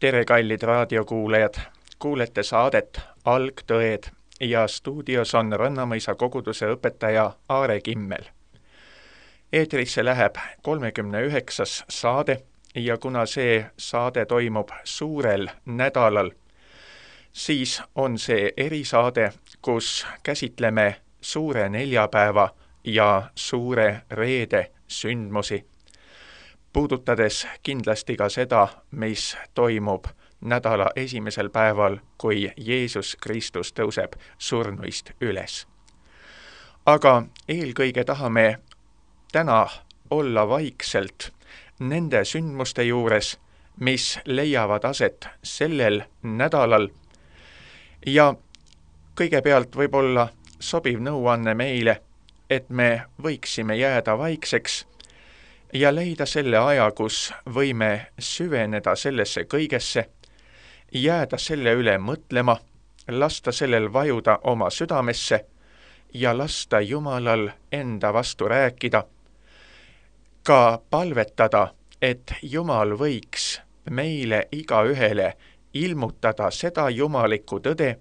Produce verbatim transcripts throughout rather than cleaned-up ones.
Tere, kallid raadiokuulajad! Kuulete saadet Algtõed ja stuudios on Rannamõisa koguduse õpetaja Aare Kimmel. Eetrisse läheb kolmekümne üheksas saade ja kuna see saade toimub suurel nädalal, siis on see erisaade, kus käsitleme suure neljapäeva ja suure reede sündmusi, puudutades kindlasti ka seda, mis toimub nädala esimesel päeval, kui Jeesus Kristus tõuseb surnuist üles. Aga eelkõige tahame täna olla vaikselt nende sündmuste juures, mis leiavad aset sellel nädalal. Ja kõigepealt võib-olla sobiv nõuanne meile, et me võiksime jääda vaikseks ja leida selle aja, kus võime süveneda sellesse kõigesse, jääda selle üle mõtlema, lasta sellel vajuda oma südamesse ja lasta Jumalal enda vastu rääkida, ka palvetada, et Jumal võiks meile igaühele ilmutada seda jumalikku tõde,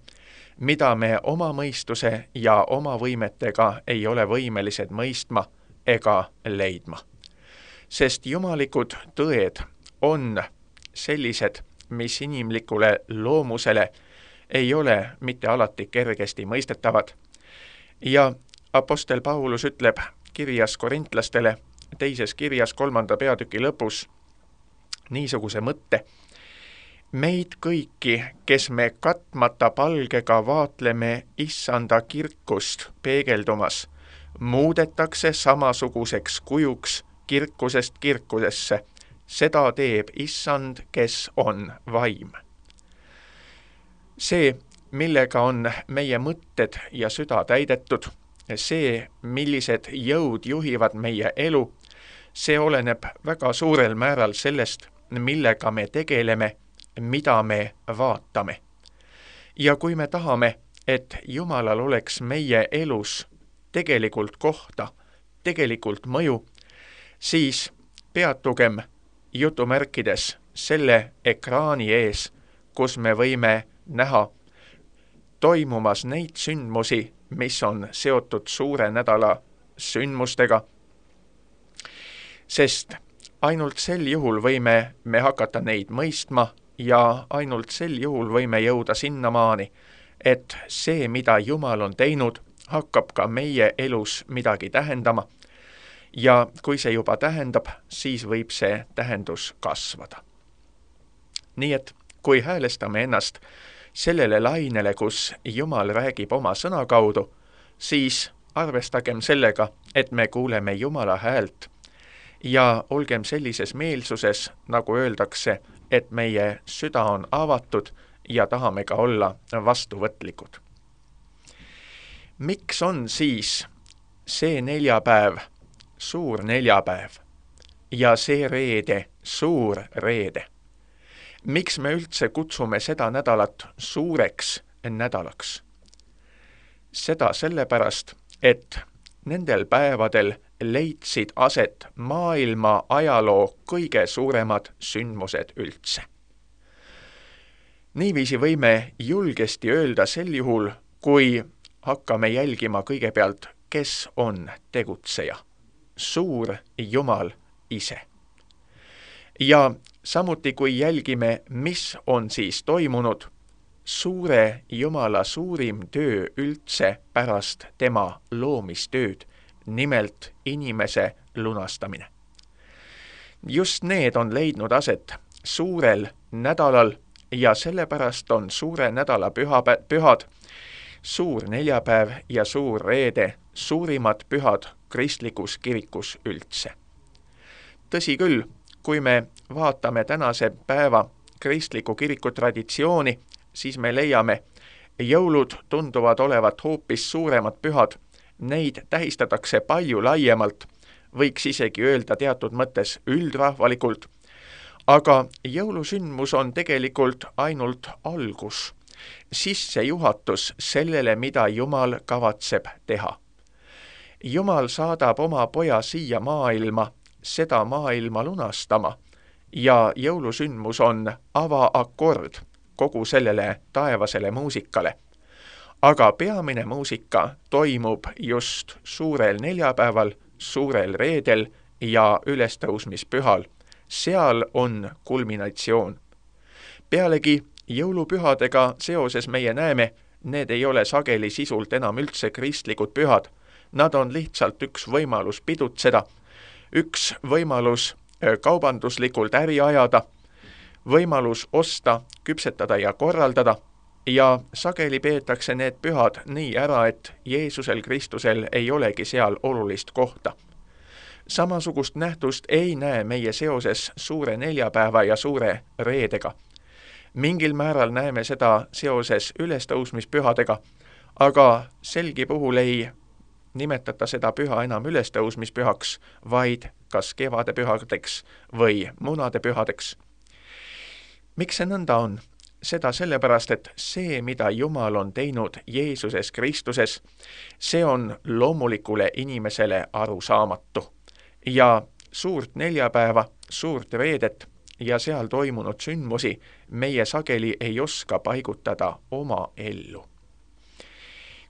mida me oma mõistuse ja oma võimetega ei ole võimelised mõistma ega leidma. Sest jumalikud tõed on sellised, mis inimlikule loomusele ei ole mitte alati kergesti mõistetavad. Ja apostel Paulus ütleb kirjas korintlastele, teises kirjas kolmanda peatüki lõpus niisuguse mõtte: meid kõiki, kes me katmata palgega vaatleme issanda kirkust peegeldumas, muudetakse samasuguseks kujuks kirkusest kirkusesse. Seda teeb issand, kes on vaim. See, millega on meie mõtted ja süda täidetud, see, millised jõud juhivad meie elu, see oleneb väga suurel määral sellest, millega me tegeleme, mida me vaatame. Ja kui me tahame, et Jumalal oleks meie elus tegelikult kohta, tegelikult mõju, siis peatugem jutumärkides selle ekraani ees, kus me võime näha toimumas neid sündmusi, mis on seotud suure nädala sündmustega. Sest ainult sel juhul võime me hakata neid mõistma ja ainult sel juhul võime jõuda sinnamaani, et see, mida Jumal on teinud, hakkab ka meie elus midagi tähendama. Ja kui see juba tähendab, siis võib see tähendus kasvada. Nii et kui häälestame ennast sellele lainele, kus Jumal räägib oma sõna kaudu, siis arvestagem sellega, et me kuuleme Jumala häält ja olgem sellises meelsuses, nagu öeldakse, et meie süda on avatud ja tahame ka olla vastuvõtlikud. Miks on siis see neljapäev suur neljapäev ja see reede suur reede? Miks me üldse kutsume seda nädalat suureks nädalaks? Seda sellepärast, et nendel päevadel leidsid aset maailma ajaloo kõige suuremad sündmused üldse. Niiviisi võime julgesti öelda sel juhul, kui hakkame jälgima kõigepealt, kes on tegutseja. Suur Jumal ise. Ja samuti kui jälgime, mis on siis toimunud, suure Jumala suurim töö üldse pärast tema loomistööd, nimelt inimese lunastamine. Just need on leidnud aset suurel nädalal ja sellepärast on suure nädala püha, pühad, suur neljapäev ja suur reede suurimad pühad kristlikus kirikus üldse. Tõsi küll, kui me vaatame tänase päeva kristliku kiriku traditsiooni, siis me leiame, jõulud tunduvad olevat hoopis suuremad pühad, neid tähistatakse palju laiemalt, võiks isegi öelda teatud mõttes üldrahvalikult, aga jõulusündmus on tegelikult ainult algus, sissejuhatus sellele, mida Jumal kavatseb teha. Jumal saadab oma poja siia maailma, seda maailma lunastama ja jõulusündmus on avaakord kogu sellele taevasele muusikale. Aga peamine muusika toimub just suurel neljapäeval, suurel reedel ja ülestõusmispühal. Seal on kulminatsioon. Pealegi jõulupühadega seoses meie näeme, need ei ole sageli sisult enam üldse kristlikud pühad. Nad on lihtsalt üks võimalus pidutseda, üks võimalus kaubanduslikult äri ajada, võimalus osta, küpsetada ja korraldada, ja sageli peetakse need pühad nii ära, et Jeesusel Kristusel ei olegi seal olulist kohta. Samasugust nähtust ei näe meie seoses suure neljapäeva ja suure reedega. Mingil määral näeme seda seoses ülestõusmispühadega, aga selgi puhul ei nimetata seda püha enam ülestõusmispühaks, vaid kas kevadepühadeks või munadepühadeks. Miks see nõnda on? Seda sellepärast, et see, mida Jumal on teinud Jeesuses Kristuses, see on loomulikule inimesele arusaamatu. Ja suurt neljapäeva, suurt reedet ja seal toimunud sündmusi meie sageli ei oska paigutada oma ellu.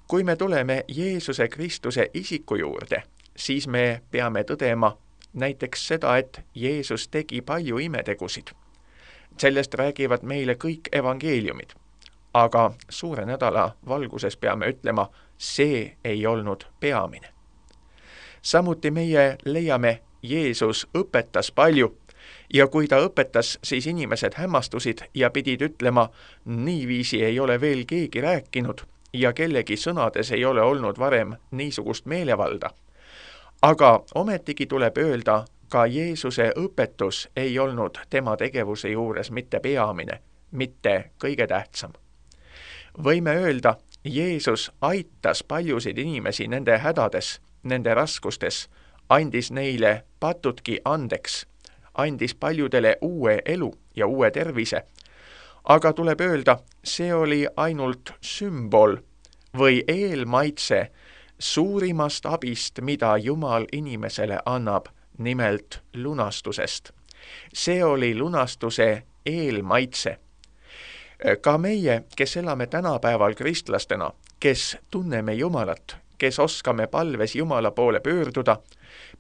Kui me tuleme Jeesuse Kristuse isiku juurde, siis me peame tõdema näiteks seda, et Jeesus tegi palju imetegusid. Sellest räägivad meile kõik evangeeliumid, aga suure nädala valguses peame ütlema, see ei olnud peamine. Samuti meie leiame, Jeesus õpetas palju ja kui ta õpetas, siis inimesed hämmastusid ja pidid ütlema, niiviisi ei ole veel keegi rääkinud ja kellegi sõnades ei ole olnud varem niisugust meelevalda. Aga ometigi tuleb öelda, ka Jeesuse õpetus ei olnud tema tegevuse juures mitte peamine, mitte kõige tähtsam. Võime öelda, Jeesus aitas paljusid inimesi nende hädades, nende raskustes, andis neile patutki andeks, andis paljudele uue elu ja uue tervise. Aga tuleb öelda, see oli ainult sümbol või eelmaitse suurimast abist, mida Jumal inimesele annab, nimelt lunastusest. See oli lunastuse eelmaitse. Ka meie, kes elame tänapäeval kristlastena, kes tunneme Jumalat, kes oskame palves Jumala poole pöörduda,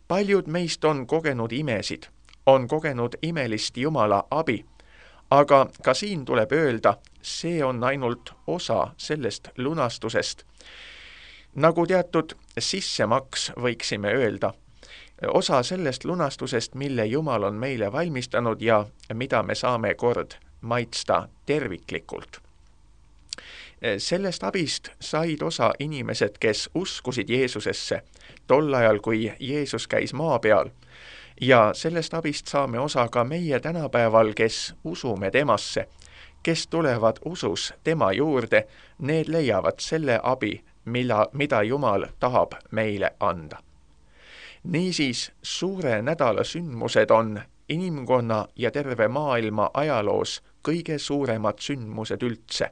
paljud meist on kogenud imesid, on kogenud imelist Jumala abi, aga ka siin tuleb öelda, see on ainult osa sellest lunastusest. Nagu teatud sissemaks võiksime öelda, osa sellest lunastusest, mille Jumal on meile valmistanud ja mida me saame kord maitsta terviklikult. Sellest abist said osa inimesed, kes uskusid Jeesusesse tol ajal, kui Jeesus käis maa peal. Ja sellest abist saame osa ka meie tänapäeval, kes usume temasse, kes tulevad usus tema juurde, need leiavad selle abi, milla, mida Jumal tahab meile anda. Niisiis, suure nädala sündmused on inimkonna ja terve maailma ajaloos kõige suuremad sündmused üldse,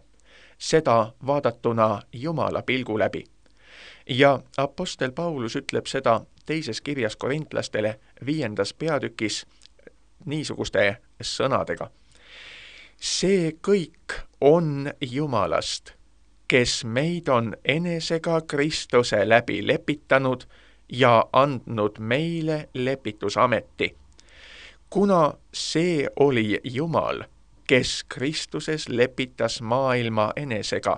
seda vaadatuna Jumala pilgu läbi. Ja apostel Paulus ütleb seda teises kirjas korintlastele viiendas peatükis niisuguste sõnadega. See kõik on Jumalast, kes meid on enesega Kristuse läbi lepitanud ja andnud meile lepitusameti. Kuna see oli Jumal, kes Kristuses lepitas maailma enesega,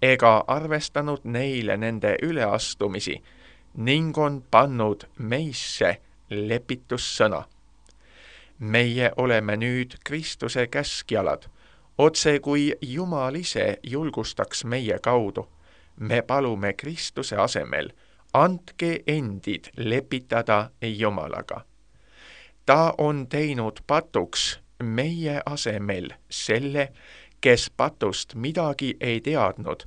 ega arvestanud neile nende üleastumisi ning on pannud meisse lepitussõna. Meie oleme nüüd Kristuse käskjalad, otse kui Jumal ise julgustaks meie kaudu. Me palume Kristuse asemel, andke endid lepitada Jumalaga. Ta on teinud patuks meie asemel selle, kes patust midagi ei teadnud,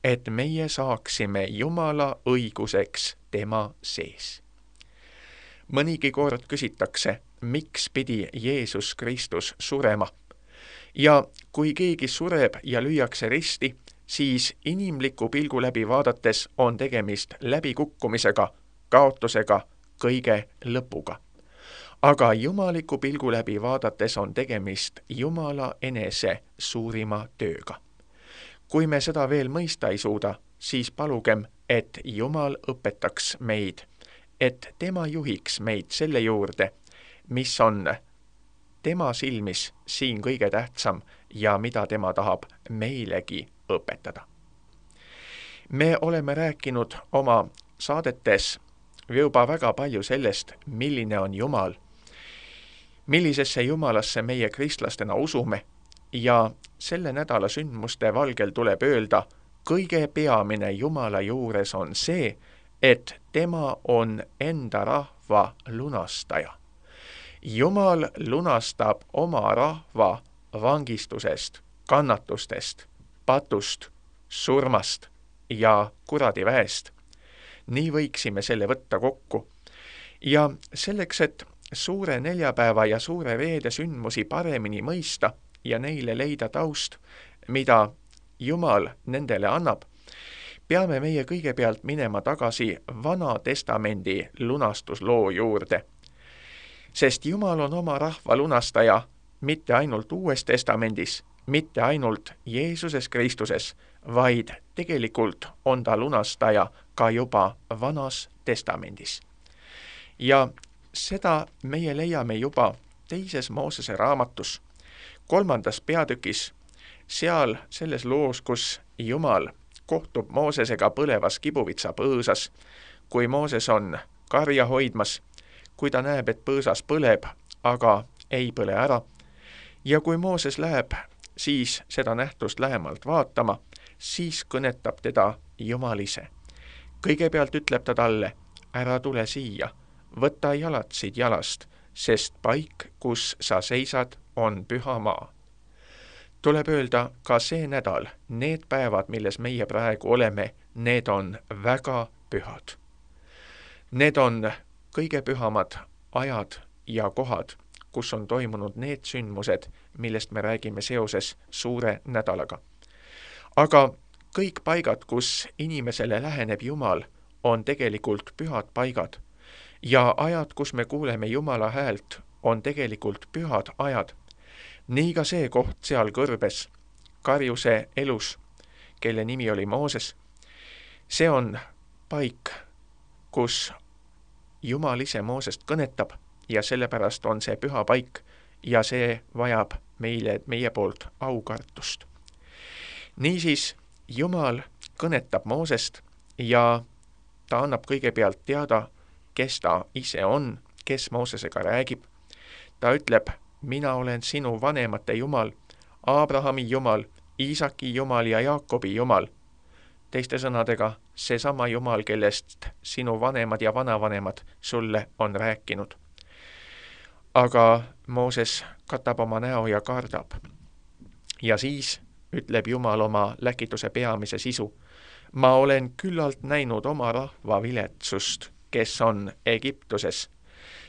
et meie saaksime Jumala õiguseks tema sees. Mõnigi kord küsitakse, miks pidi Jeesus Kristus surema. Ja kui keegi sureb ja lüüakse risti, siis inimliku pilgu läbi vaadates on tegemist läbikukkumisega, kaotusega, kõige lõpuga. aga jumaliku pilgu läbi vaadates on tegemist Jumala enese suurima tööga. Kui me seda veel mõista ei suuda, siis palugem, et Jumal õpetaks meid, et tema juhiks meid selle juurde, mis on tema silmis siin kõige tähtsam ja mida tema tahab meilegi õpetada. Me oleme rääkinud oma saadetes juba väga palju sellest, milline on Jumal, millisesse Jumalasse meie kristlastena usume ja selle nädala sündmuste valgel tuleb öelda, kõige peamine Jumala juures on see, et tema on enda rahva lunastaja. Jumal lunastab oma rahva vangistusest, kannatustest, patust, surmast ja kuradiväest. Nii võiksime selle võtta kokku. Ja selleks, et suure neljapäeva ja suure reede sündmusi paremini mõista ja neile leida taust, mida Jumal nendele annab, peame meie kõigepealt minema tagasi Vana Testamendi lunastusloo juurde. Sest Jumal on oma rahva lunastaja mitte ainult Uues Testamendis, mitte ainult Jeesuses Kristuses, vaid tegelikult on ta lunastaja ka juba Vanas Testamendis. Ja seda meie leiame juba teises Moosese raamatus, kolmandas peatükis, seal selles loos, kus Jumal kohtub Moosesega põlevas kibuvitsa põõsas, kui Mooses on karja hoidmas, kui ta näeb, et põõsas põleb, aga ei põle ära, ja kui Mooses läheb siis seda nähtust lähemalt vaatama, siis kõnetab teda Jumal ise. Kõigepealt ütleb ta talle, ära tule siia, võta jalad siit jalast, sest paik, kus sa seisad, on püha maa. Tuleb öelda ka see nädal, need päevad, milles meie praegu oleme, need on väga pühad. Need on kõige pühamad ajad ja kohad, kus on toimunud need sündmused, millest me räägime seoses suure nädalaga. Aga kõik paigad, kus inimesele läheneb Jumal, on tegelikult pühad paigad. Ja ajad, kus me kuuleme Jumala häält, on tegelikult pühad ajad. Nii ka see koht seal kõrbes, karjuse elus, kelle nimi oli Mooses. See on paik, kus Jumal ise Moosest kõnetab ja sellepärast on see püha paik ja see vajab meile, meie poolt aukartust. Niisiis, Jumal kõnetab Moosest ja ta annab kõigepealt teada, kes ta ise on, kes Moosesega räägib. Ta ütleb, mina olen sinu vanemate Jumal, Abrahami Jumal, Iisaki Jumal ja Jaakobi Jumal. Teiste sõnadega, seesama Jumal, kellest sinu vanemad ja vanavanemad sulle on rääkinud. Aga Mooses katab oma näo ja kardab. Ja siis ütleb Jumal oma läkituse peamise sisu. Ma olen küllalt näinud oma rahva viletsust, kes on Egiptuses,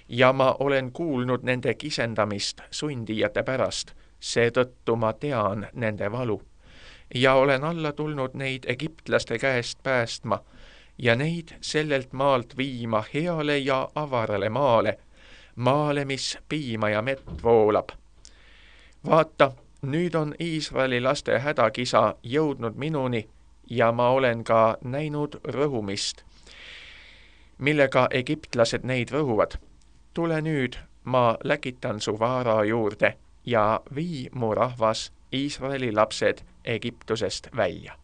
ja ma olen kuulnud nende kisendamist sundijate pärast, seetõttu ma tean nende valu. Ja olen alla tulnud neid egiptlaste käest päästma ja neid sellelt maalt viima heale ja avarale maale, maale, mis piima ja mett voolab. Vaata, nüüd on Iisraeli laste hädakisa jõudnud minuni ja ma olen ka näinud rõhumist, millega egiptlased neid rõhuvad. Tule nüüd, ma läkitan su vaara juurde ja vii mu rahvas, Iisraeli lapsed Egiptusest välja.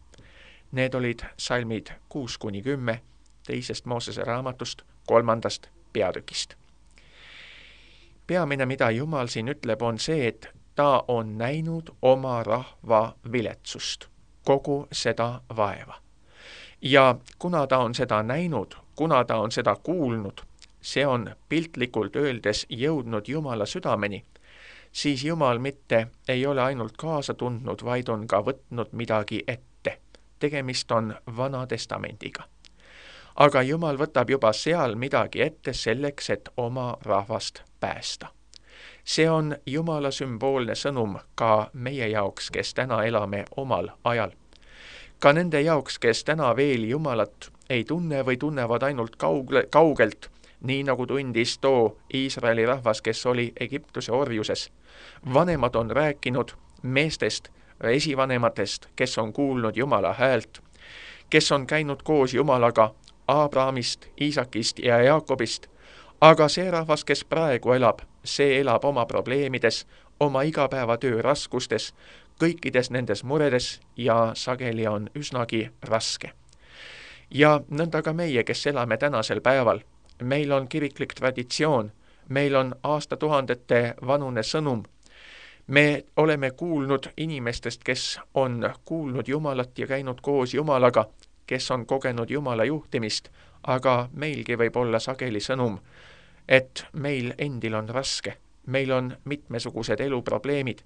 Need olid salmid kuus kuni kümme teisest Moosese raamatust kolmandast peatükist. Peamine, mida Jumal siin ütleb, on see, et ta on näinud oma rahva viletsust, kogu seda vaeva. Ja kuna ta on seda näinud, kuna ta on seda kuulnud, see on piltlikult öeldes jõudnud Jumala südameni, siis Jumal mitte ei ole ainult kaasa tundnud, vaid on ka võtnud midagi ette. Tegemist on Vana Testamendiga. Aga Jumal võtab juba seal midagi ette selleks, et oma rahvast päästa. See on Jumala sümboolne sõnum ka meie jaoks, kes täna elame omal ajal. Ka nende jaoks, kes täna veel Jumalat ei tunne või tunnevad ainult kaugle, kaugelt nii nagu tundis too Iisraeli rahvas, kes oli Egiptuse orjuses. Vanemad on rääkinud meestest, esivanematest, kes on kuulnud Jumala häält, kes on käinud koos Jumalaga Abrahamist, Iisakist ja Jaakobist, aga see rahvas, kes praegu elab, see elab oma probleemides, oma igapäevatöö raskustes, kõikides nendes muredes ja sageli on üsnagi raske. Ja nõnda ka meie, kes elame tänasel päeval, meil on kiriklik traditsioon, meil on aastatuhandete vanune sõnum. Me oleme kuulnud inimestest, kes on kuulnud Jumalat ja käinud koos Jumalaga, kes on kogenud Jumala juhtimist, aga meilgi võib olla sageli sõnum, et meil endil on raske, meil on mitmesugused eluprobleemid,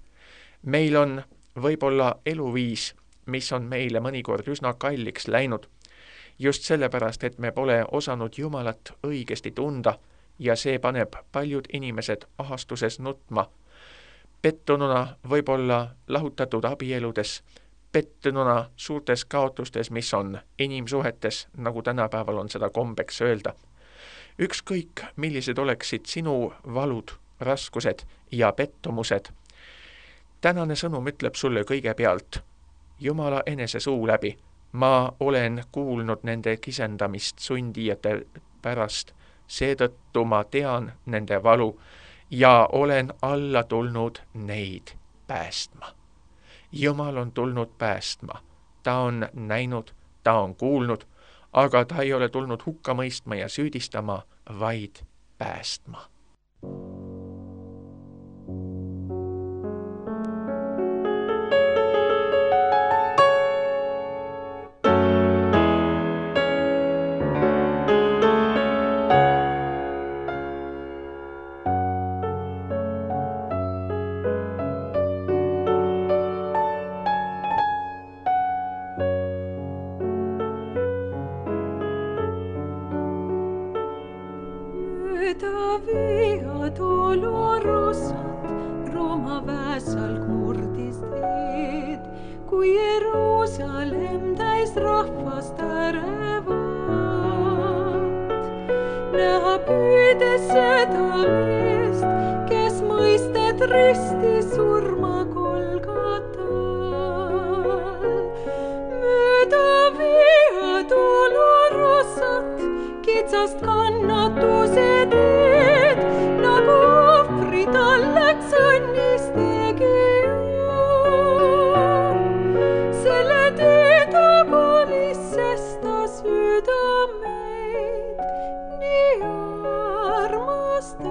meil on võib-olla eluviis, mis on meile mõnikord üsna kalliks läinud, just sellepärast, et me pole osanud Jumalat õigesti tunda ja see paneb paljud inimesed ahastuses nutma, pettununa võib-olla lahutatud abieludes, pettununa suurtes kaotustes, mis on inimsuhetes, nagu tänapäeval on seda kombeks öelda. Ükskõik, millised oleksid sinu valud, raskused ja pettumused. Tänane sõnum ütleb sulle kõigepealt Jumala enese suu läbi. Ma olen kuulnud nende kisendamist sundijate pärast, seetõttu ma tean nende valu ja olen alla tulnud neid päästma. Jumal on tulnud päästma. Ta on näinud, ta on kuulnud, aga ta ei ole tulnud hukka mõistma ja süüdistama, vaid päästma. Via dolorosat Roma väesalg murdis teed, kui Jeruusalemm täis rahvast ärevat. Näha püüdes seda meest, kes mõisted risti surma Golgatal. Mööda via dolorosat kitsast kannatuse teed, nagu ohvri tal läks õnnis tegija. Selle tee tagulis, sest ta südameid nii armastas.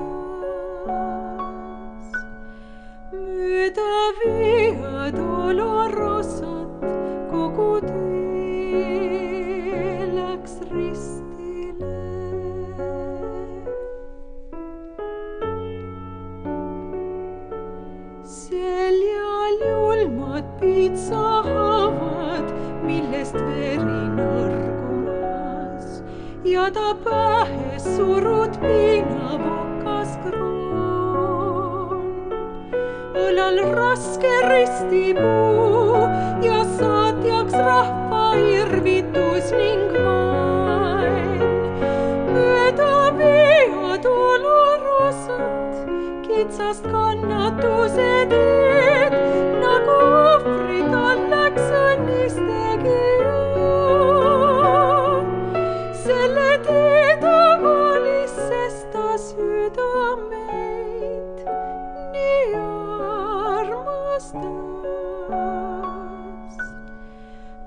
Mööda via dolorosat kogu tee läks rist. Seljal julmad piitsahavad, millest veri nõrgumas, ja ta pähes surud piinavokas kroon. Õlal raske ristipuu ja saatjaks rahva irvitus ning vaen. Mööda via dolorosat kitsast kannatuse teed, nagu ohvri tal läks õnnis tegija. Selle tee tagulis, sest ta südameid nii armastas.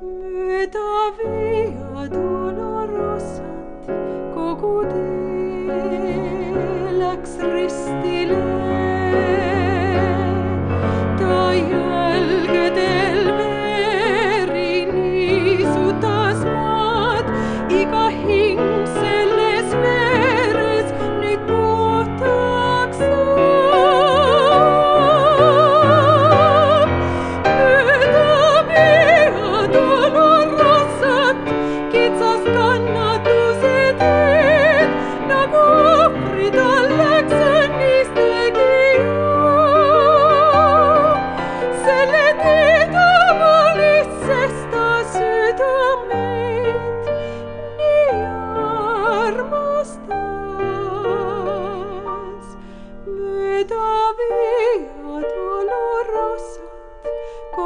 Mööda via dolorosat kogu tee läks ristile. Ta jälgedel veri niisutas maad, iga hing selles veres nüüd puhtaks saab. Mööda via dolorosat kitsast kannatus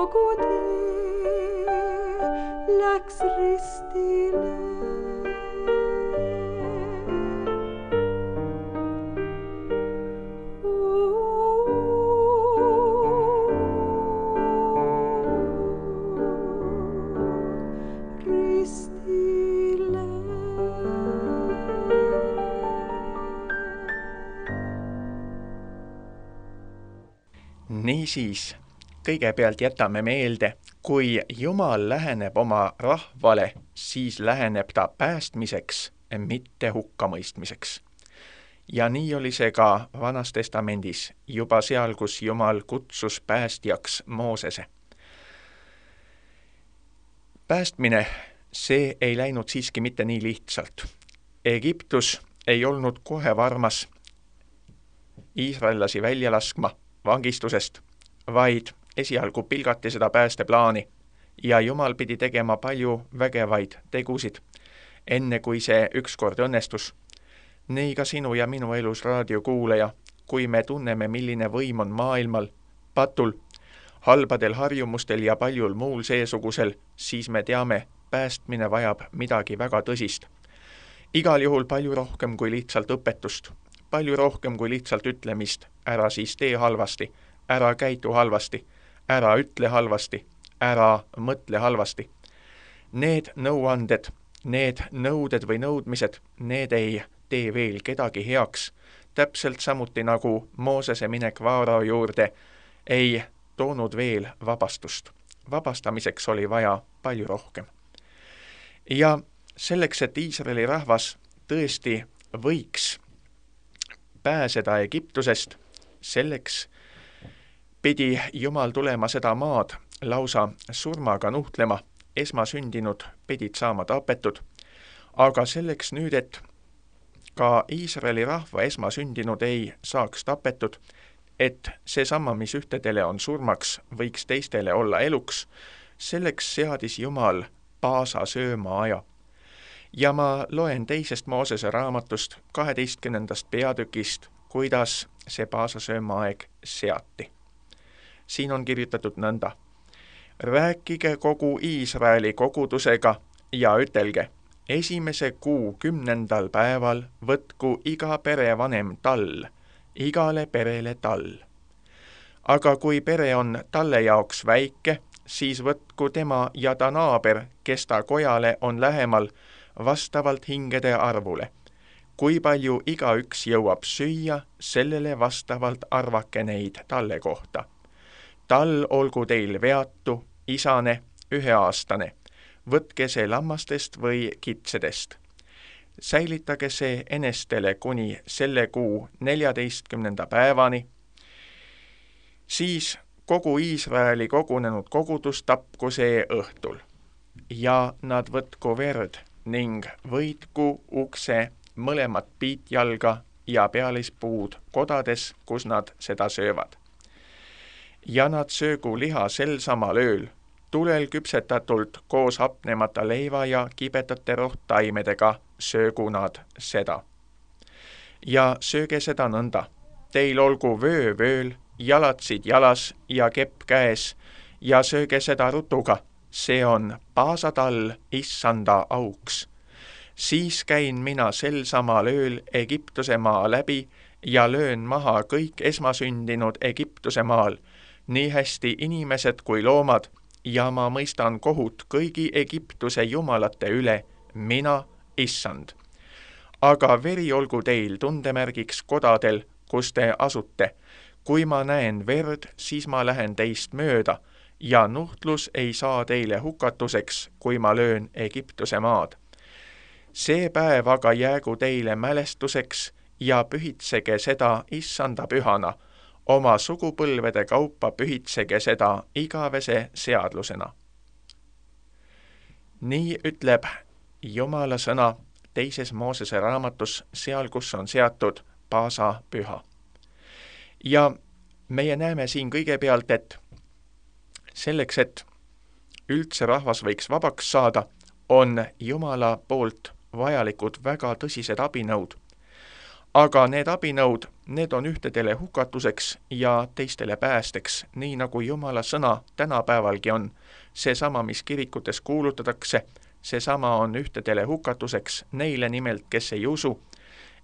kogu tee läks ristile. Niisiis, kõigepealt jätame meelde, kui Jumal läheneb oma rahvale, siis läheneb ta päästmiseks, mitte hukkamõistmiseks. Ja nii oli see ka Vanas Testamendis, juba seal, kus Jumal kutsus päästjaks Moosese. Päästmine, see ei läinud siiski mitte nii lihtsalt. Egiptus ei olnud kohe varmas iisraellasi välja laskma vangistusest, vaid esialgu pilgati seda päästeplaani ja Jumal pidi tegema palju vägevaid tegusid, enne kui see ükskord õnnestus. Nii ka sinu ja minu elus raadiokuulaja, kui me tunneme, milline võim on maailmal, patul, halbadel harjumustel ja paljul muul seesugusel, siis me teame, päästmine vajab midagi väga tõsist. Igal juhul palju rohkem kui lihtsalt õpetust. Palju rohkem kui lihtsalt ütlemist, ära siis tee halvasti, ära käitu halvasti, ära ütle halvasti, ära mõtle halvasti. Need nõuanded, need nõuded või nõudmised, need ei tee veel kedagi heaks. Täpselt samuti nagu Moosese minek Vaarao juurde ei toonud veel vabastust. Vabastamiseks oli vaja palju rohkem. Ja selleks, et Iisraeli rahvas tõesti võiks pääseda Egiptusest, selleks pidi Jumal tulema seda maad lausa surmaga nuhtlema, esmasündinud pidid saama tapetud, aga selleks nüüd, et ka Iisraeli rahva esmasündinud ei saaks tapetud, et seesama, mis ühtedele on surmaks, võiks teistele olla eluks, selleks seadis Jumal paasa sööma aja. Ja ma loen teisest Moosese raamatust kaheteistkümnendast peatükist, kuidas see paasasööma aeg seati. Siin on kirjutatud nõnda. Rääkige kogu Iisraeli kogudusega ja ütelge, esimese kuu kümnendal päeval võtku iga perevanem tall, igale perele tall. Aga kui pere on talle jaoks väike, siis võtku tema ja ta naaber, kes ta kojale on lähemal, vastavalt hingede arvule. Kui palju igaüks jõuab süüa, sellele vastavalt arvake neid talle kohta. Tall olgu teil veatu, isane, üheaastane. Võtke see lammastest või kitsedest. Säilitage see enestele kuni selle kuu neljateistkümnenda päevani. Siis kogu Iisraeli kogunenud kogudus tapku see õhtul. Ja nad võtku verd ning võitku ukse mõlemat piitjalga ja pealispuud kodades, kus nad seda söövad. Ja nad söögu liha sel samal ööl, tulel küpsetatult koos hapnemata leiva ja kibetate rohttaimedega söögu nad seda. Ja sööge seda nõnda, teil olgu vöö vööl, jalatsid jalas ja kepp käes ja sööge seda rutuga. See on paasatall issanda auks. Siis käin mina sel samal ööl Egiptuse maa läbi ja löön maha kõik esmasündinud Egiptuse maal, nii hästi inimesed kui loomad, ja ma mõistan kohut kõigi Egiptuse jumalate üle, mina, issand. Aga veri olgu teil tundemärgiks kodadel, kus te asute. Kui ma näen verd, siis ma lähen teist mööda, ja nuhtlus ei saa teile hukatuseks, kui ma löön Egiptuse maad. See päev aga jäägu teile mälestuseks ja pühitsege seda issanda pühana, oma sugupõlvede kaupa pühitsege seda igavese seadlusena. Nii ütleb Jumala sõna teises Moosese raamatus, seal, kus on seatud paasa püha. Ja meie näeme siin kõigepealt, et selleks, et üldse rahvas võiks vabaks saada, on Jumala poolt vajalikud väga tõsised abinõud. Aga need abinõud, need on ühtedele hukatuseks ja teistele päästeks, nii nagu Jumala sõna tänapäevalgi on. Seesama, mis kirikutes kuulutatakse, seesama on ühtedele hukatuseks neile nimelt, kes ei usu,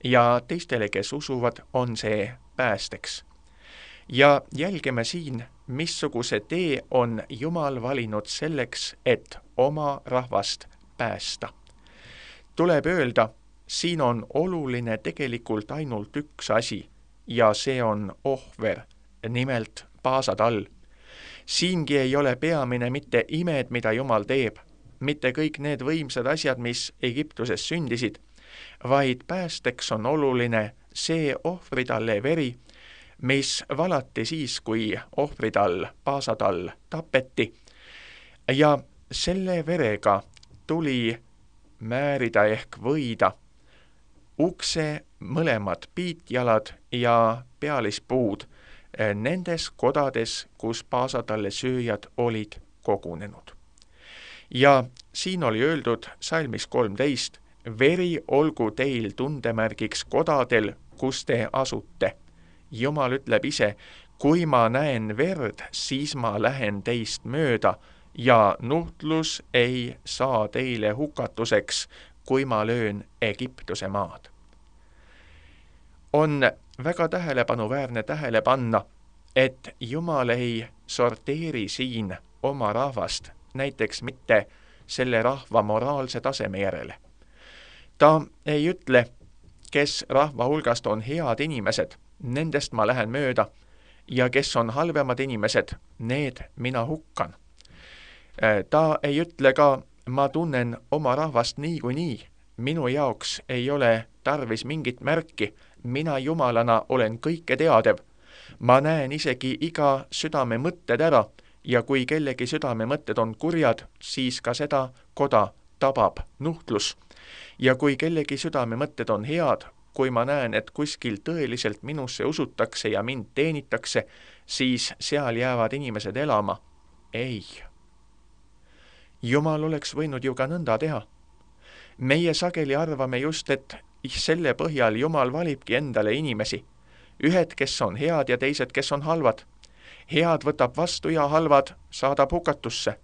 ja teistele, kes usuvad, on see päästeks. Ja jälgime siin, missuguse tee on Jumal valinud selleks, et oma rahvast päästa. Tuleb öelda, siin on oluline tegelikult ainult üks asi ja see on ohver, nimelt paasatall. Siingi ei ole peamine mitte imed, mida Jumal teeb, mitte kõik need võimsad asjad, mis Egiptuses sündisid, vaid päästeks on oluline see ohvritalle veri, mis valati siis, kui ohvritall, paasatall tapeti, ja selle verega tuli määrida ehk võida ukse mõlemad piitjalad ja pealispuud nendes kodades, kus paasatalle sööjad olid kogunenud. Ja siin oli öeldud salmis kolmteist, veri olgu teil tundemärgiks kodadel, kus te asute. Jumal ütleb ise, kui ma näen verd, siis ma lähen teist mööda ja nuhtlus ei saa teile hukatuseks, kui ma löön Egiptuse maad. On väga tähelepanuväärne tähele panna, et Jumal ei sorteeri siin oma rahvast, näiteks mitte selle rahva moraalse taseme järele. Ta ei ütle, kes rahva hulgast on head inimesed, nendest ma lähen mööda, ja kes on halvemad inimesed, need mina hukkan. Ta ei ütle ka, ma tunnen oma rahvast niikuinii, minu jaoks ei ole tarvis mingit märki, mina Jumalana olen kõike teadev. Ma näen isegi iga südame mõtted ära ja kui kellegi südame mõtted on kurjad, siis ka seda koda tabab nuhtlus. Ja kui kellegi südame mõtted on head, kui ma näen, et kuskil tõeliselt minusse usutakse ja mind teenitakse, siis seal jäävad inimesed elama. Ei. Jumal oleks võinud ju ka nõnda teha. Meie sageli arvame just, et selle põhjal Jumal valibki endale inimesi. Ühed, kes on head ja teised, kes on halvad. Head võtab vastu ja halvad saadab hukatusse.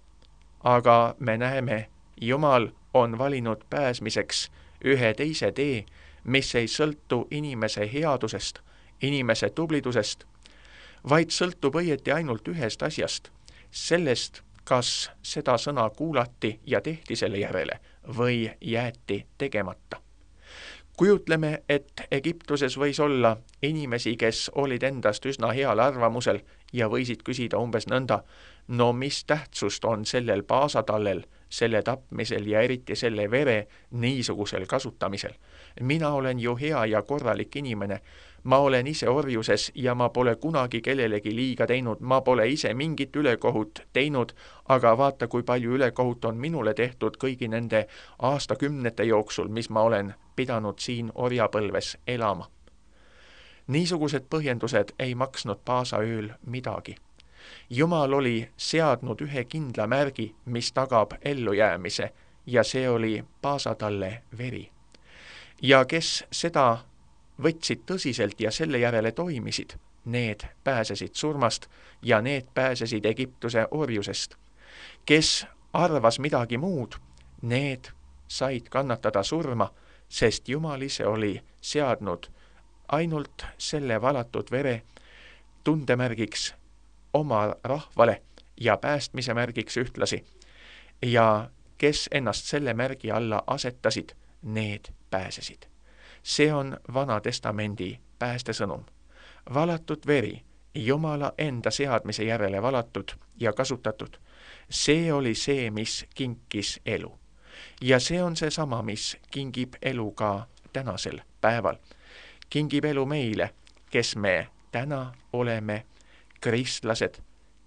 Aga me näeme, Jumal on valinud pääsmiseks ühe teise tee, mis ei sõltu inimese headusest, inimese tublidusest, vaid sõltub õieti ainult ühest asjast, sellest, kas seda sõna kuulati ja tehti selle järele või jäeti tegemata. Kujutleme, et Egiptuses võis olla inimesi, kes olid endast üsna heal arvamusel ja võisid küsida umbes nõnda, no mis tähtsust on sellel paasatallel, selle tapmisel ja eriti selle vere niisugusel kasutamisel. Mina olen ju hea ja korralik inimene. Ma olen ise orjuses ja ma pole kunagi kellelegi liiga teinud, ma pole ise mingit ülekohut teinud, aga vaata, kui palju ülekohut on minule tehtud kõigi nende aastakümnete jooksul, mis ma olen pidanud siin orjapõlves elama. Niisugused põhjendused ei maksnud paasaööl midagi. Jumal oli seadnud ühe kindla märgi, mis tagab ellujäämise, ja see oli paasatalle veri. Ja kes seda võtsid tõsiselt ja selle järele toimisid, need pääsesid surmast ja need pääsesid Egiptuse orjusest. Kes arvas midagi muud, need said kannatada surma, sest Jumal ise oli seadnud ainult selle valatud vere tundemärgiks oma rahvale ja päästmise märgiks ühtlasi. Ja kes ennast selle märgi alla asetasid, need pääsesid. See on Vana Testamendi päästesõnum. Valatud veri, Jumala enda seadmise järele valatud ja kasutatud, see oli see, mis kinkis elu. Ja see on see sama, mis kingib elu ka tänasel päeval. Kingib elu meile, kes me täna oleme kristlased,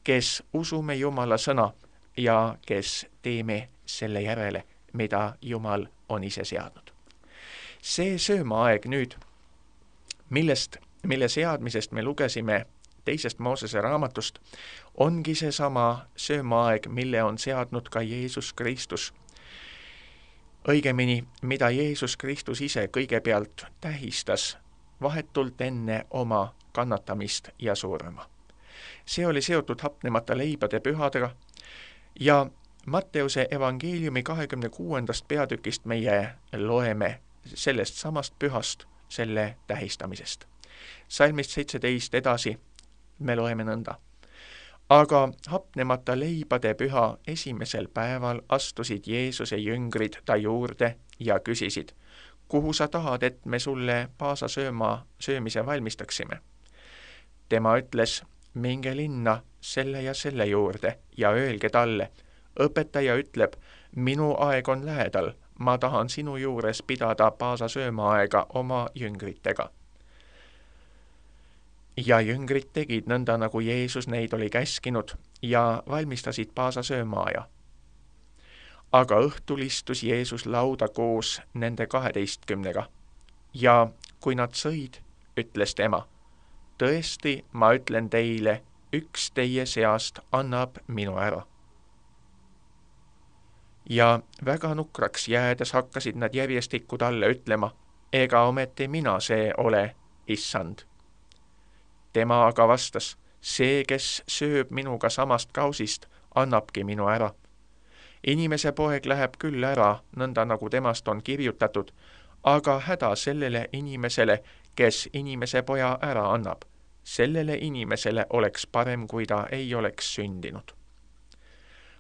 kes usume Jumala sõna ja kes teeme selle järele, mida Jumal on ise seadnud. See söömaaeg nüüd, millest, mille seadmisest me lugesime teisest Moosese raamatust, ongi see sama söömaaeg, mille on seadnud ka Jeesus Kristus. Õigemini, mida Jeesus Kristus ise kõigepealt tähistas vahetult enne oma kannatamist ja surma. See oli seotud hapnemata leibade pühadega ja Matteuse evangeeliumi kahekümne kuuendast peatükist meie loeme sellest samast pühast, selle tähistamisest. Salmist seitseteist edasi me loeme nõnda. Aga hapnemata leibade püha esimesel päeval astusid Jeesuse jüngrid ta juurde ja küsisid, kuhu sa tahad, et me sulle paasa sööma, söömise valmistaksime? Tema ütles, minge linna selle ja selle juurde ja öelge talle, õpetaja ütleb, minu aeg on lähedal, ma tahan sinu juures pidada paasa söömaaega oma jüngritega. Ja jüngrid tegid nõnda, nagu Jeesus neid oli käskinud ja valmistasid paasa söömaaja. Aga õhtul istus Jeesus lauda koos nende kaheteistkümnega ja kui nad sõid, ütles tema, tõesti, ma ütlen teile, üks teie seast annab minu ära. Ja väga nukraks jäädes hakkasid nad järjestikku talle ütlema, ega ometi mina see ole, issand. Tema aga vastas, see, kes sööb minuga samast kausist, annabki minu ära. Inimese poeg läheb küll ära, nõnda nagu temast on kirjutatud, aga häda sellele inimesele, kes inimese poja ära annab. Sellele inimesele oleks parem, kui ta ei oleks sündinud.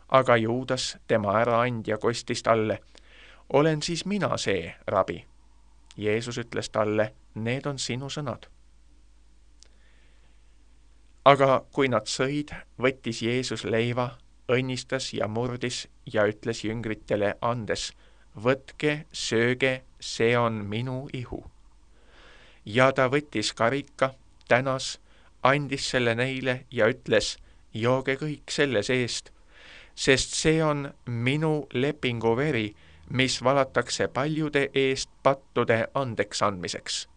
Aga Juudas, tema äraandja, kostis talle, olen siis mina see, rabi. Jeesus ütles talle, need on sinu sõnad. Aga kui nad sõid, võttis Jeesus leiva, õnnistas ja murdis ja ütles jüngritele andes, võtke, sööge, see on minu ihu. Ja ta võttis karika, tänas, andis selle neile ja ütles, jooge kõik selle seest, sest see on minu lepingu veri, mis valatakse paljude eest pattude andeks andmiseks.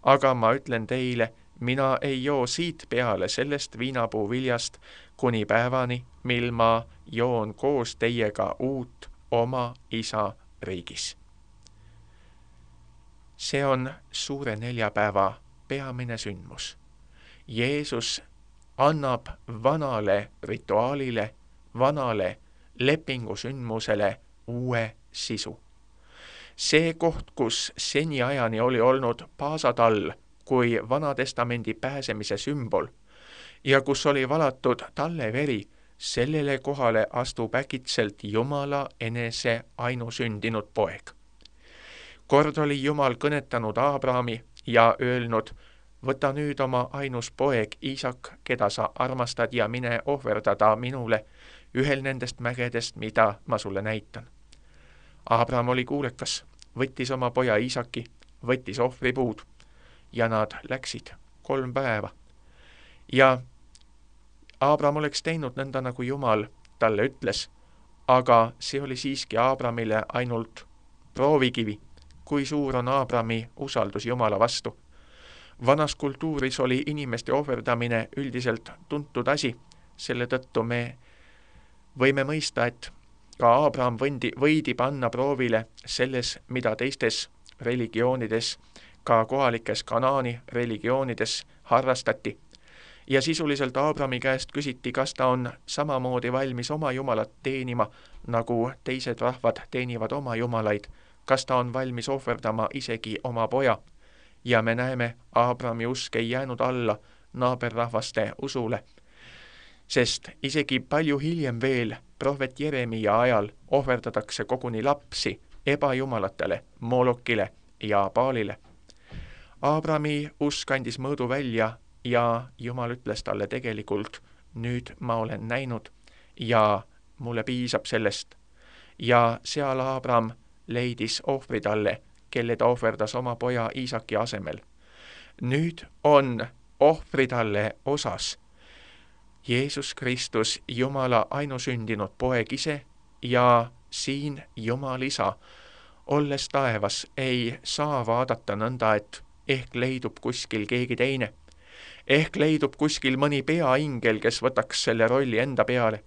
Aga ma ütlen teile, mina ei joo siit peale sellest viinapuu viljast kuni päevani, mil ma joon koos teiega uut oma isa riigis. See on suure neljapäeva peamine sündmus. Jeesus annab vanale rituaalile, vanale lepingusündmusele uue sisu. See koht, kus seniajani oli olnud paasatall kui Vanatestamendi pääsemise sümbol ja kus oli valatud talle veri, sellele kohale astub äkitselt Jumala enese ainusündinud poeg. Kord oli Jumal kõnetanud Abrahami ja öelnud, võta nüüd oma ainus poeg Iisak, keda sa armastad ja mine ohverdada minule ühel nendest mägedest, mida ma sulle näitan. Abraham oli kuulekas, võttis oma poja Iisaki, võttis ohvripuud ja nad läksid kolm päeva. Ja Abraham oleks teinud nõnda, nagu Jumal talle ütles, aga see oli siiski Abrahamile ainult proovikivi, kui suur on Abrahami usaldus Jumala vastu. Vanas kultuuris oli inimeste ohverdamine üldiselt tuntud asi, selle tõttu me võime mõista, et ka Abraham võndi, võidi panna proovile selles, mida teistes religioonides, ka kohalikes Kanaani religioonides harrastati. Ja sisuliselt Abrahami käest küsiti, kas ta on samamoodi valmis oma jumalat teenima, nagu teised rahvad teenivad oma jumalaid, kas ta on valmis ohverdama isegi oma poja. Ja me näeme, Abrahami usk ei jäänud alla naaberrahvaste usule, sest isegi palju hiljem veel prohvet Jeremia ajal ohverdatakse koguni lapsi ebajumalatele, Molokile ja Baalile. Abrahami usk andis mõõdu välja ja Jumal ütles talle tegelikult, nüüd ma olen näinud ja mulle piisab sellest. Ja seal Abraham leidis ohvri talle, kelle ta ohverdas oma poja Iisaki asemel. Nüüd on ohvri talle osas Jeesus Kristus, Jumala ainusündinud poeg ise ja siin Jumal isa, olles taevas, ei saa vaadata nõnda, et ehk leidub kuskil keegi teine. Ehk leidub kuskil mõni peaingel, kes võtaks selle rolli enda peale.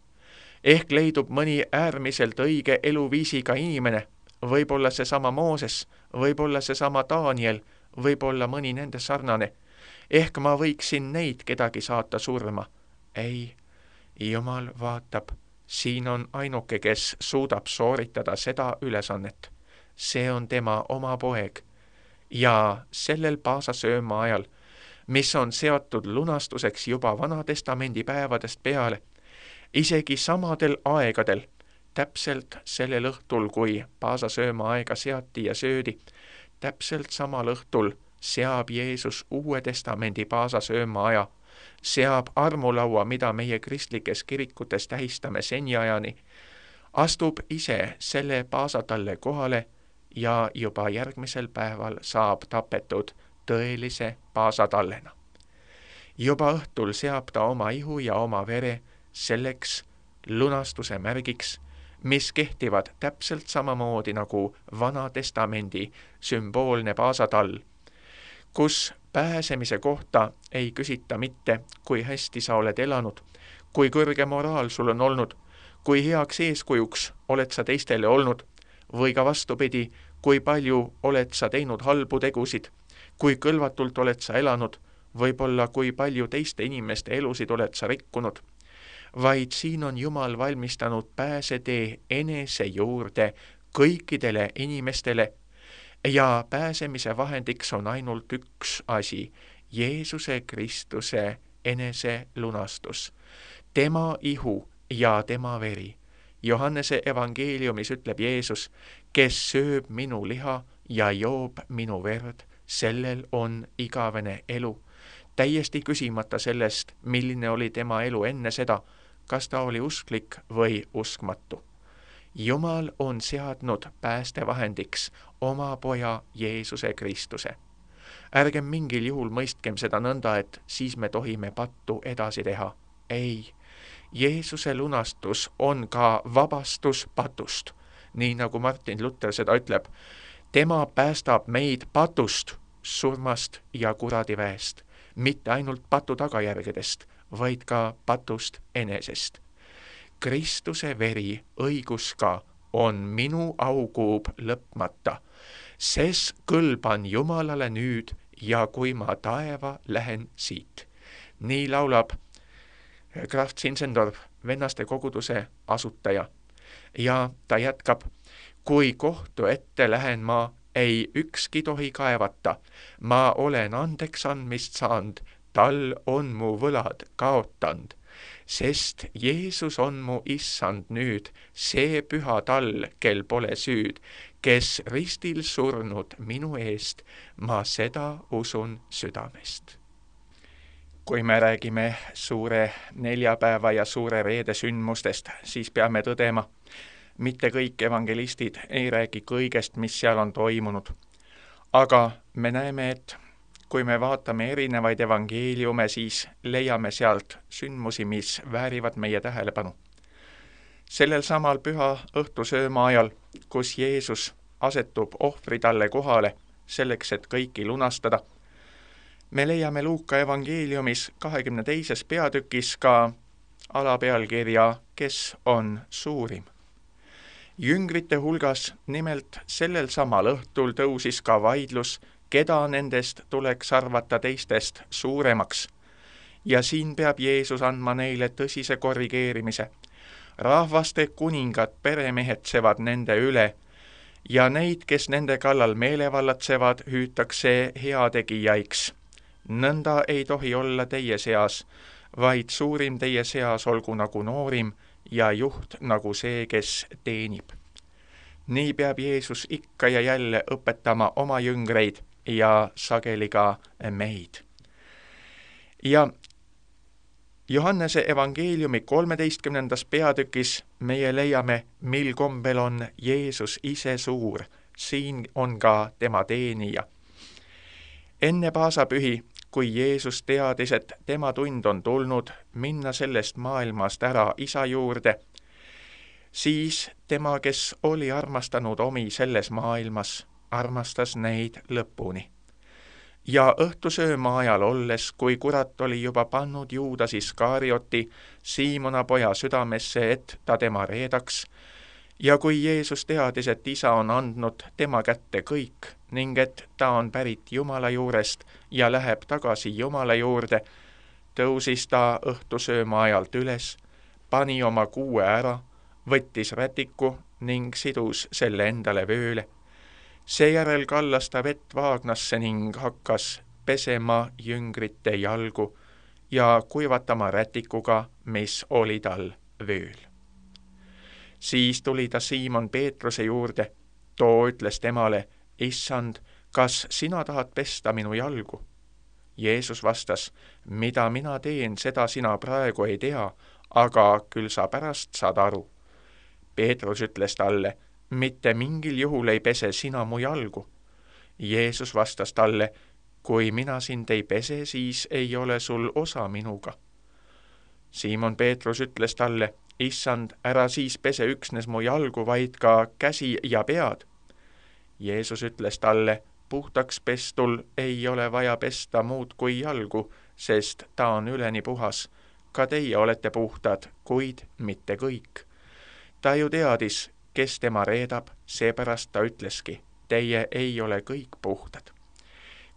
Ehk leidub mõni äärmiselt õige eluviisiga inimene, võib-olla seesama Mooses, võib-olla seesama Daniel, võib-olla mõni nende sarnane. Ehk ma võiksin neid kedagi saata surma. Ei, Jumal vaatab, siin on ainuke, kes suudab sooritada seda ülesannet. See on tema oma poeg. Ja sellel paasasööma ajal, mis on seotud lunastuseks juba Vana-testamendi päevadest peale, isegi samadel aegadel, täpselt sellel õhtul, kui paasasööma aega seati ja söödi, täpselt samal õhtul seab Jeesus Uue Testamendi paasasööma aja, seab armulaua, mida meie kristlikes kirikutes tähistame seniajani, astub ise selle paasatalle kohale ja juba järgmisel päeval saab tapetud tõelise paasatallena. Juba õhtul seab ta oma ihu ja oma vere selleks lunastuse märgiks, mis kehtivad täpselt samamoodi nagu Vana-testamendi sümboolne paasatall, kus pääsemise kohta ei küsita mitte, kui hästi sa oled elanud, kui kõrge moraal sul on olnud, kui heaks eeskujuks oled sa teistele olnud, või ka vastupidi, kui palju oled sa teinud halbu tegusid, kui kõlvatult oled sa elanud, võib-olla kui palju teiste inimeste elusid oled sa rikkunud, vaid siin on Jumal valmistanud pääsetee enese juurde kõikidele inimestele ja pääsemise vahendiks on ainult üks asi, Jeesuse Kristuse enese lunastus, tema ihu ja tema veri. Johannese evangeeliumis ütleb Jeesus, kes sööb minu liha ja joob minu verd, sellel on igavene elu. Täiesti küsimata sellest, milline oli tema elu enne seda, kas ta oli usklik või uskmatu. Jumal on seadnud päästevahendiks oma poja Jeesuse Kristuse. Ärgem mingil juhul mõistkem seda nõnda, et siis me tohime pattu edasi teha. Ei, Jeesuse lunastus on ka vabastus patust, nii nagu Martin Luther seda ütleb. Tema päästab meid patust, surmast ja kuradiväest, mitte ainult patu tagajärgedest, vaid ka patust enesest. Kristuse veri õigus ka on minu aukuub lõpmata, ses kõlban Jumalale nüüd ja kui ma taeva lähen siit. Nii laulab Graf Zinzendorf, vennaste koguduse asutaja. Ja ta jätkab, kui kohtu ette lähen ma, ei ükski tohi kaevata, ma olen andeks andmist saanud, tal on mu võlad kaotanud, sest Jeesus on mu issand nüüd, see püha tall, kel pole süüd, kes ristil surnud minu eest, ma seda usun südamest. Kui me räägime suure neljapäeva ja suure reede sündmustest, siis peame tõdema, mitte kõik evangelistid ei räägi kõigest, mis seal on toimunud. Aga me näeme, et kui me vaatame erinevaid evangeeliume, siis leiame sealt sündmusi, mis väärivad meie tähelepanu. Sellel samal püha õhtusööma ajal, kus Jeesus asetub ohvritalle kohale selleks, et kõiki lunastada, me leiame Luuka evangeeliumis kahekümne teises peatükis ka alapealkirja, kes on suurim. Jüngrite hulgas nimelt sellel samal õhtul tõusis ka vaidlus, keda nendest tuleks arvata teistest suuremaks. Ja siin peab Jeesus andma neile tõsise korrigeerimise. Rahvaste kuningad peremehetsevad nende üle ja neid, kes nende kallal meelevallatsevad, hüütakse heategijaiks. Nõnda ei tohi olla teie seas, vaid suurim teie seas olgu nagu noorim ja juht nagu see, kes teenib. Nii peab Jeesus ikka ja jälle õpetama oma jüngreid ja sageli ka meid. Ja Johannese evangeeliumi kolmeteistkümnendas peatükis meie leiame, mil kombel on Jeesus ise suur, siin on ka tema teenija. Enne paasapühi, kui Jeesus teadis, et tema tund on tulnud minna sellest maailmast ära isa juurde, siis tema, kes oli armastanud omi selles maailmas, armastas neid lõpuni. Ja õhtusööma ajal olles, kui kurat oli juba pannud Juudas Iskarioti Siimona poja südamesse, et ta tema reedaks, Ja kui Jeesus teadis, et isa on andnud tema kätte kõik ning et ta on pärit Jumala juurest ja läheb tagasi Jumala juurde, tõusis ta õhtusööma ajalt üles, pani oma kuue ära, võttis rätiku ning sidus selle endale vööle. Seejärel kallas ta vett vaagnasse ning hakkas pesema jüngrite jalgu ja kuivatama rätikuga, mis oli tal vööl. Siis tuli ta Siimon Peetruse juurde, too ütles temale, issand, kas sina tahad pesta minu jalgu? Jeesus vastas, mida mina teen, seda sina praegu ei tea, aga küll sa pärast saad aru. Peetrus ütles talle, mitte mingil juhul ei pese sina mu jalgu. Jeesus vastas talle, kui mina sind ei pese, siis ei ole sul osa minuga. Siimon Peetrus ütles talle, issand, ära siis pese üksnes mu jalgu, vaid ka käsi ja pead. Jeesus ütles talle, puhtaks pestul ei ole vaja pesta muud kui jalgu, sest ta on üleni puhas. Ka teie olete puhtad, kuid mitte kõik. Ta ju teadis, kes tema reedab, seepärast ta ütleski, teie ei ole kõik puhtad.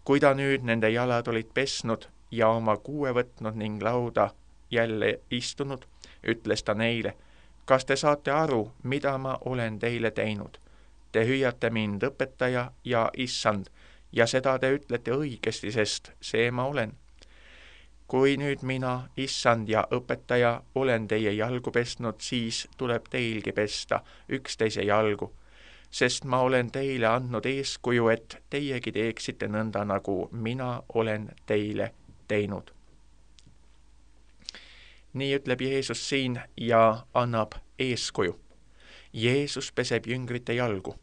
Kui ta nüüd nende jalad olid pesnud ja oma kuue võtnud ning lauda jälle istunud, ütles ta neile, kas te saate aru, mida ma olen teile teinud? Te hüüate mind õpetaja ja issand, ja seda te ütlete õigesti, sest see ma olen. Kui nüüd mina, issand ja õpetaja, olen teie jalgu pestnud, siis tuleb teilgi pesta üksteise jalgu, sest ma olen teile andnud eeskuju, et teiegi teeksite nõnda, nagu mina olen teile teinud. Nii ütleb Jeesus siin ja annab eeskuju. Jeesus peseb jüngrite jalgu.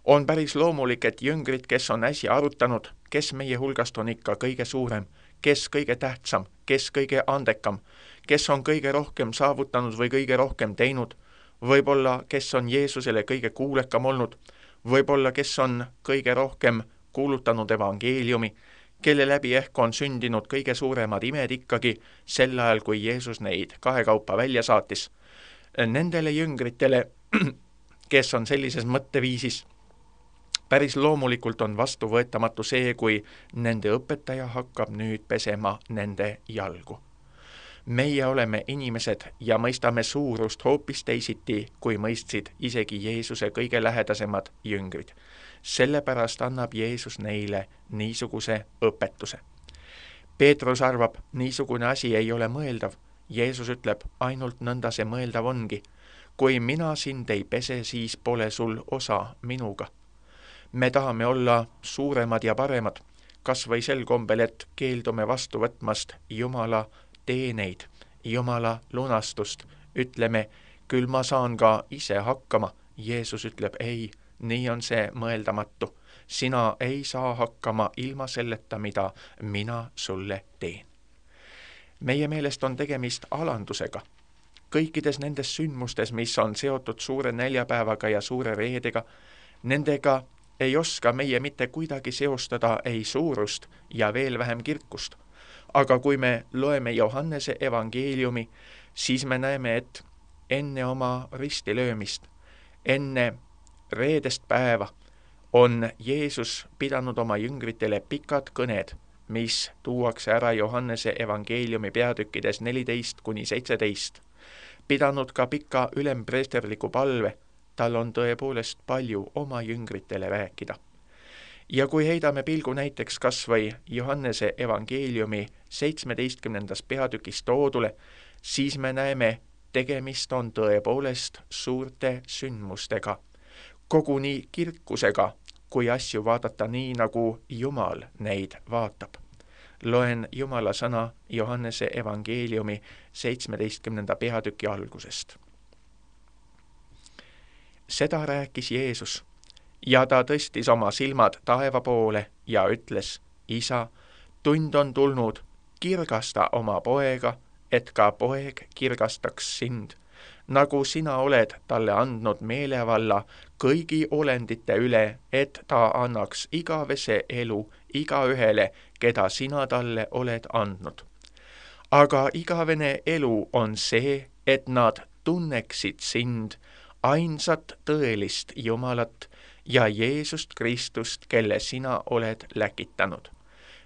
On päris loomulik, et jüngrid, kes on äsja arutanud, kes meie hulgast on ikka kõige suurem, kes kõige tähtsam, kes kõige andekam, kes on kõige rohkem saavutanud või kõige rohkem teinud, võib-olla kes on Jeesusele kõige kuulekam olnud, võib-olla kes on kõige rohkem kuulutanud evangeeliumi, kelle läbi ehk on sündinud kõige suuremad imed ikkagi sel ajal, kui Jeesus neid kahekaupa välja saatis. Nendele jüngritele, kes on sellises mõtteviisis, päris loomulikult on vastuvõetamatu see, kui nende õpetaja hakkab nüüd pesema nende jalgu. Meie oleme inimesed ja mõistame suurust hoopis teisiti, kui mõistsid isegi Jeesuse kõige lähedasemad jüngrid. Sellepärast annab Jeesus neile niisuguse õpetuse. Peetrus arvab, niisugune asi ei ole mõeldav. Jeesus ütleb, ainult nõnda see mõeldav ongi. Kui mina sind ei pese, siis pole sul osa minuga. Me tahame olla suuremad ja paremad, kas või sel kombel, et keeldume vastu võtmast Jumala teeneid, Jumala lunastust. Ütleme, küll ma saan ka ise hakkama. Jeesus ütleb, ei, nii on see mõeldamatu. Sina ei saa hakkama ilma selleta, mida mina sulle teen. Meie meelest on tegemist alandusega. Kõikides nendes sündmustes, mis on seotud suure neljapäevaga ja suure reedega, nendega ei oska meie mitte kuidagi seostada ei suurust ja veel vähem kirkust. Aga kui me loeme Johannese evangeeliumi, siis me näeme, et enne oma ristilöömist, enne reedest päeva on Jeesus pidanud oma jüngritele pikad kõned, mis tuuakse ära Johannese evangeeliumi peatükkides neliteist kuni seitseteist. Pidanud ka pika ülempreesterliku palve, tal on tõepoolest palju oma jüngritele rääkida. Ja kui heidame pilgu näiteks kas või Johannese evangeeliumi seitsmeteistkümnendas peatükis toodule, siis me näeme, tegemist on tõepoolest suurte sündmustega, koguni kirkusega, kui asju vaadata nii, nagu Jumal neid vaatab. Loen Jumala sõna Johannese evangeeliumi seitsmeteistkümnenda peatüki algusest. Seda rääkis Jeesus, ja ta tõstis oma silmad taeva poole ja ütles, isa, tund on tulnud, kirgasta oma poega, et ka poeg kirgastaks sind, nagu sina oled talle andnud meelevalla kõigi olendite üle, et ta annaks igavese elu igaühele, keda sina talle oled andnud. Aga igavene elu on see, et nad tunneksid sind, ainsat tõelist Jumalat ja Jeesust Kristust, kelle sina oled läkitanud.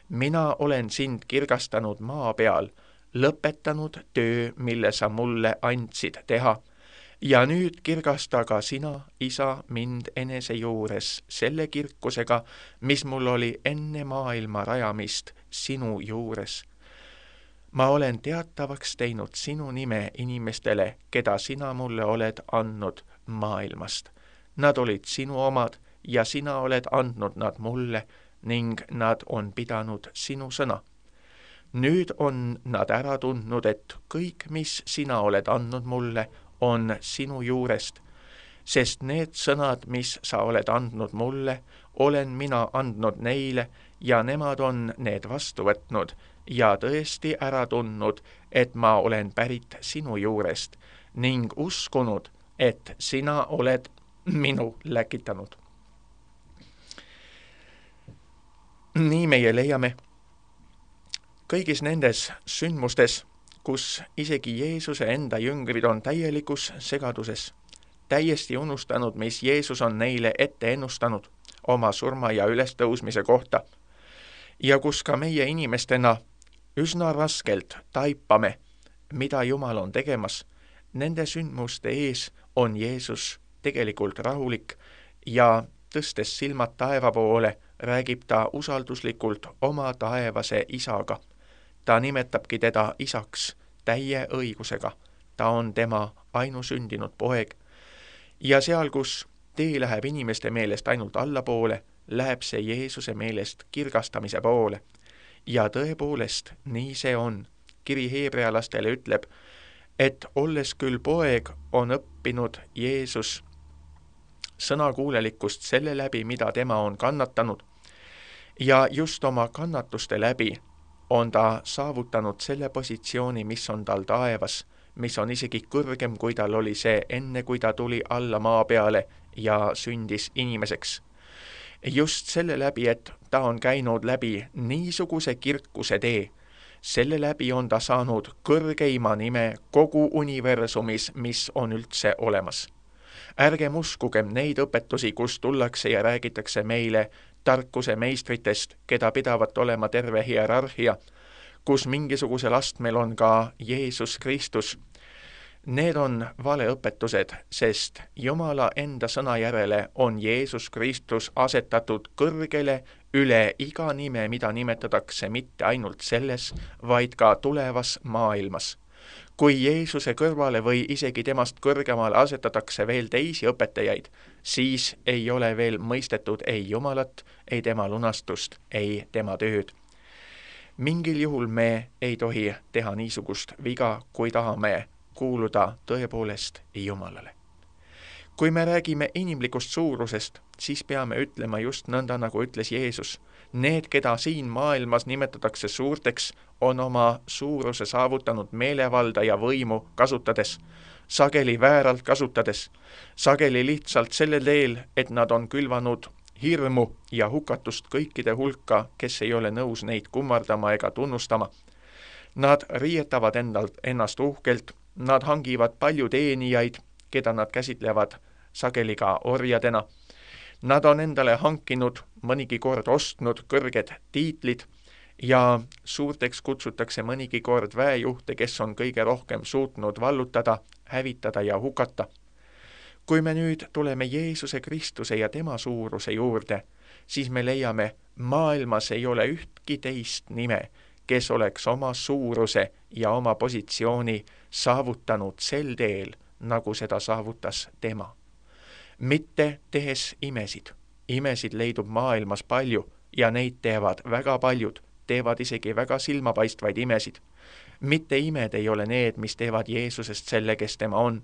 mina olen sind kirgastanud maa peal, lõpetanud töö, mille sa mulle andsid teha, ja nüüd kirgasta ka sina, Isa, mind enese juures selle kirkusega, mis mul oli enne maailma rajamist sinu juures. ma olen teatavaks teinud sinu nime inimestele, keda sina mulle oled andnud maailmast. Nad olid sinu omad ja sina oled andnud nad mulle ning nad on pidanud sinu sõna. nüüd on nad ära tundnud, et kõik, mis sina oled andnud mulle, on sinu juurest, sest need sõnad, mis sa oled andnud mulle, olen mina andnud neile ja nemad on need vastu võtnud ja tõesti ära tundnud, et ma olen pärit sinu juurest ning uskunud, et sina oled minu läkitanud. nii meie leiame kõigis nendes sündmustes, kus isegi Jeesuse enda jüngrid on täielikus segaduses, täiesti unustanud, mis Jeesus on neile ette ennustanud oma surma ja ülestõusmise kohta, ja kus ka meie inimestena üsna raskelt taipame, mida Jumal on tegemas. Nende sündmuste ees on Jeesus tegelikult rahulik ja tõstes silmad taeva poole, räägib ta usalduslikult oma taevase isaga. Ta nimetabki teda isaks täie õigusega. Ta on tema ainusündinud poeg. Ja seal, kus tee läheb inimeste meelest ainult allapoole, läheb see Jeesuse meelest kirgastamise poole. Ja tõepoolest, nii see on. Kiri heebrealastele ütleb, et olles küll poeg, on õppinud Jeesus sõnakuulelikkust selle läbi, mida tema on kannatanud. Ja just oma kannatuste läbi on ta saavutanud selle positsiooni, mis on tal taevas, mis on isegi kõrgem, kui tal oli see enne, kui ta tuli alla maa peale ja sündis inimeseks. Just selle läbi, et ta on käinud läbi niisuguse kirkuse tee, selle läbi on ta saanud kõrgeima nime kogu universumis, mis on üldse olemas. Ärgem uskugem neid õpetusi, kus tullakse ja räägitakse meile tarkuse meistritest, keda pidavat olema terve hierarhia, kus mingisugusel astmel on ka Jeesus Kristus. Need on valeõpetused, sest Jumala enda sõna järele on Jeesus Kristus asetatud kõrgele üle iga nime, mida nimetatakse mitte ainult selles, vaid ka tulevas maailmas. Kui Jeesuse kõrvale või isegi temast kõrgemale asetatakse veel teisi õpetajaid, siis ei ole veel mõistetud ei Jumalat, ei tema lunastust, ei tema tööd. Mingil juhul me ei tohi teha niisugust viga, kui tahame kuuluda tõepoolest Jumalale. Kui me räägime inimlikust suurusest, siis peame ütlema just nõnda, nagu ütles Jeesus. Need, keda siin maailmas nimetatakse suurteks, on oma suuruse saavutanud meelevalda ja võimu kasutades, sageli vääralt kasutades, sageli lihtsalt sellel teel, et nad on külvanud hirmu ja hukatust kõikide hulka, kes ei ole nõus neid kummardama ega tunnustama. Nad riietavad endalt, ennast uhkelt, nad hangivad palju teenijaid, keda nad käsitlevad sageli ka orjadena. Nad on endale hankinud, mõnigi kord ostnud kõrged tiitlid ja suurteks kutsutakse mõnigi kord väejuhte, kes on kõige rohkem suutnud vallutada, hävitada ja hukata. Kui me nüüd tuleme Jeesuse Kristuse ja tema suuruse juurde, siis me leiame, maailmas ei ole ühtki teist nime, kes oleks oma suuruse ja oma positsiooni saavutanud sel teel, nagu seda saavutas tema. Mitte tehes imesid. Imesid leidub maailmas palju ja neid teevad väga paljud, teevad isegi väga silmapaistvaid imesid. Mitte imed ei ole need, mis teevad Jeesusest selle, kes tema on.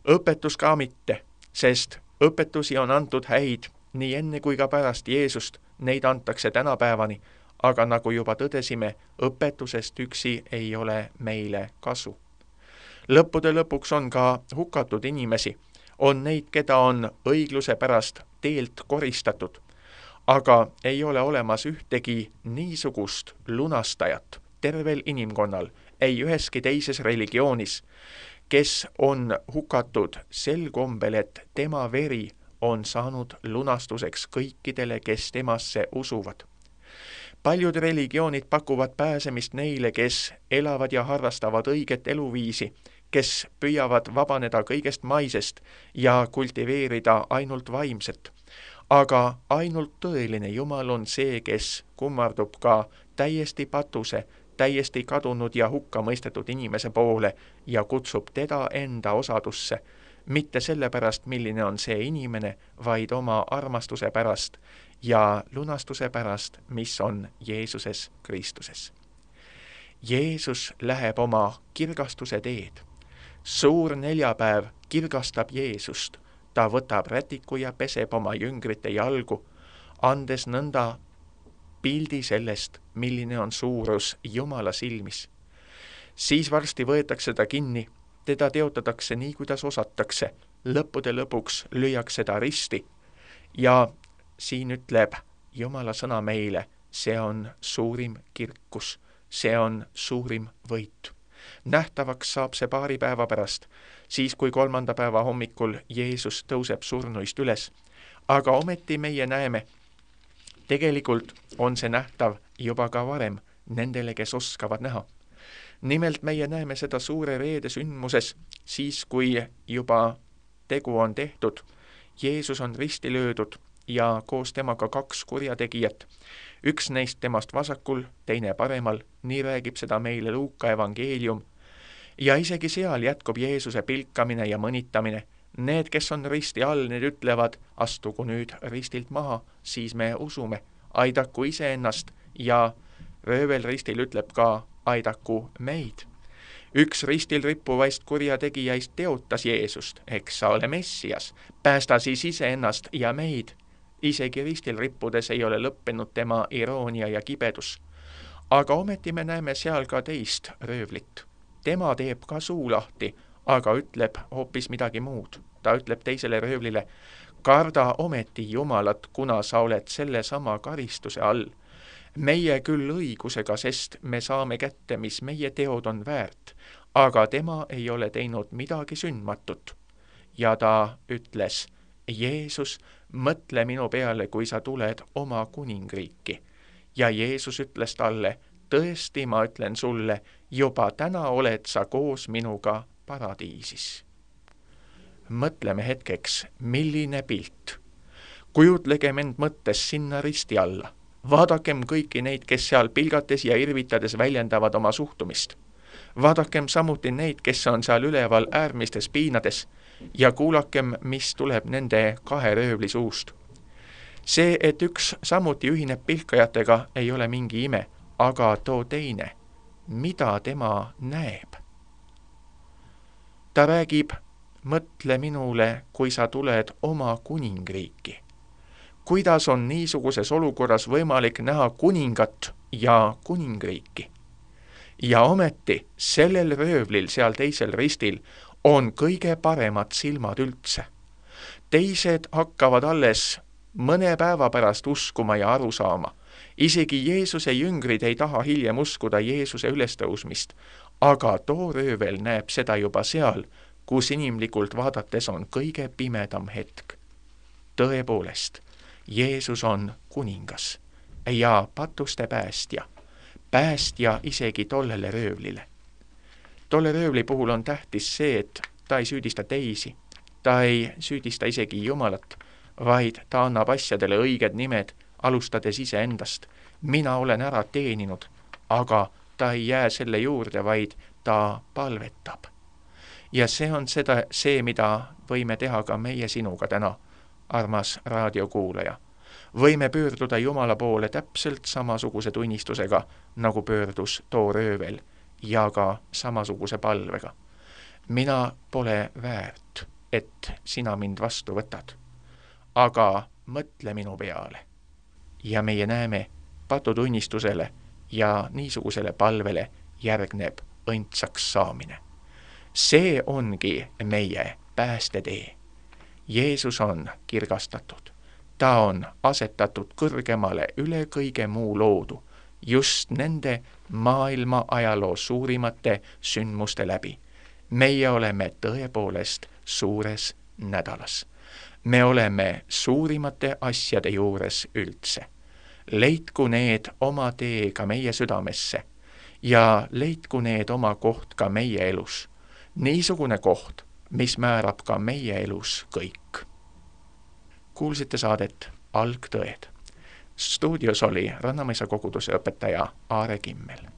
Õpetus ka mitte, sest õpetusi on antud häid nii enne kui ka pärast Jeesust, neid antakse tänapäevani, aga nagu juba tõdesime, õpetusest üksi ei ole meile kasu. Lõppude lõpuks on ka hukatud inimesi, on neid, keda on õigluse pärast teelt koristatud, aga ei ole olemas ühtegi niisugust lunastajat tervel inimkonnal, ei üheski teises religioonis, kes on hukatud sel kombel, et tema veri on saanud lunastuseks kõikidele, kes temasse usuvad. Paljud religioonid pakuvad pääsemist neile, kes elavad ja harrastavad õiget eluviisi, kes püüavad vabaneda kõigest maisest ja kultiveerida ainult vaimset. Aga ainult tõeline Jumal on see, kes kummardub ka täiesti patuse, täiesti kadunud ja hukka mõistetud inimese poole ja kutsub teda enda osadusse, mitte sellepärast, milline on see inimene, vaid oma armastuse pärast ja lunastuse pärast, mis on Jeesuses Kristuses. Jeesus läheb oma kirgastuse teed. Suur neljapäev kirgastab Jeesust. Ta võtab rätiku ja peseb oma jüngrite jalgu, andes nõnda pildi sellest, milline on suurus Jumala silmis. Siis varsti võetakse ta kinni, teda teotatakse nii, kuidas osatakse, lõppude lõpuks lüüakse ta risti ja siin ütleb Jumala sõna meile, see on suurim kirkus, see on suurim võit. Nähtavaks saab see paari päeva pärast, siis kui kolmanda päeva hommikul Jeesus tõuseb surnuist üles. Aga ometi meie näeme, tegelikult on see nähtav juba ka varem nendele, kes oskavad näha. Nimelt meie näeme seda suure reede sündmuses, siis kui juba tegu on tehtud, Jeesus on risti löödud ja koos temaga kaks kurjategijat. Üks neist temast vasakul, teine paremal, nii räägib seda meile Luuka evangeelium. Ja isegi seal jätkub Jeesuse pilkamine ja mõnitamine. Need, kes on risti all, need ütlevad, astugu nüüd ristilt maha, siis me usume, aidaku iseennast ja röövel ristil ütleb ka, aidaku meid. Üks ristil rippuvaist kurjategijaist teotas Jeesust, eks sa ole Messias, päästa siis iseennast ja meid. Isegi ristil rippudes ei ole lõppenud tema iroonia ja kibedus. Aga ometi me näeme seal ka teist röövlit. Tema teeb ka suu lahti, aga ütleb hoopis midagi muud. Ta ütleb teisele röövlile, karda ometi Jumalat, kuna sa oled selle sama karistuse all. Meie küll õigusega, sest me saame kätte, mis meie teod on väärt, aga tema ei ole teinud midagi sündmatut. Ja ta ütles, Jeesus, mõtle minu peale, kui sa tuled oma kuningriiki. Ja Jeesus ütles talle, tõesti ma ütlen sulle, juba täna oled sa koos minuga paradiisis. Mõtleme hetkeks, milline pilt. Kujutlegem end mõttes sinna risti alla. Vaadakem kõiki neid, kes seal pilgates ja irvitades väljendavad oma suhtumist. Vaadakem samuti neid, kes on seal üleval äärmistes piinades ja kuulakem, mis tuleb nende kahe röövli suust. See, et üks samuti ühineb pilkajatega, ei ole mingi ime, aga too teine, mida tema näeb. Ta räägib, mõtle minule, kui sa tuled oma kuningriiki. Kuidas on niisuguses olukorras võimalik näha kuningat ja kuningriiki? Ja ometi sellel röövlil seal teisel ristil on kõige paremad silmad üldse. Teised hakkavad alles mõne päeva pärast uskuma ja aru saama. Isegi Jeesuse jüngrid ei taha hiljem uskuda Jeesuse ülestõusmist, aga too röövel näeb seda juba seal, kus inimlikult vaadates on kõige pimedam hetk. Tõepoolest, Jeesus on kuningas ja patuste päästja, päästja isegi tollele röövlile. Tolle röövli puhul on tähtis see, et ta ei süüdista teisi, ta ei süüdista isegi Jumalat, vaid ta annab asjadele õiged nimed, alustades iseendast. Mina olen ära teeninud, aga ta ei jää selle juurde, vaid ta palvetab. Ja see on seda, see, mida võime teha ka meie sinuga täna, armas raadiokuulaja. Võime pöörduda Jumala poole täpselt samasuguse tunnistusega, nagu pöördus too röövel ja ka samasuguse palvega. Mina pole väärt, et sina mind vastu võtad, aga mõtle minu peale. Ja meie näeme patutunnistusele ja niisugusele palvele järgneb õndsaks saamine. See ongi meie päästetee. Jeesus on kirgastatud. Ta on asetatud kõrgemale üle kõige muu loodu, just nende maailma ajaloo suurimate sündmuste läbi. meie oleme tõepoolest suures nädalas. Me oleme suurimate asjade juures üldse. Leidku need oma tee ka meie südamesse ja leidku need oma koht ka meie elus. Niisugune koht, mis määrab ka meie elus kõik. Kuulsite saadet Algtõed. Stuudios oli Rannamõisa koguduse õpetaja Aare Kimmel.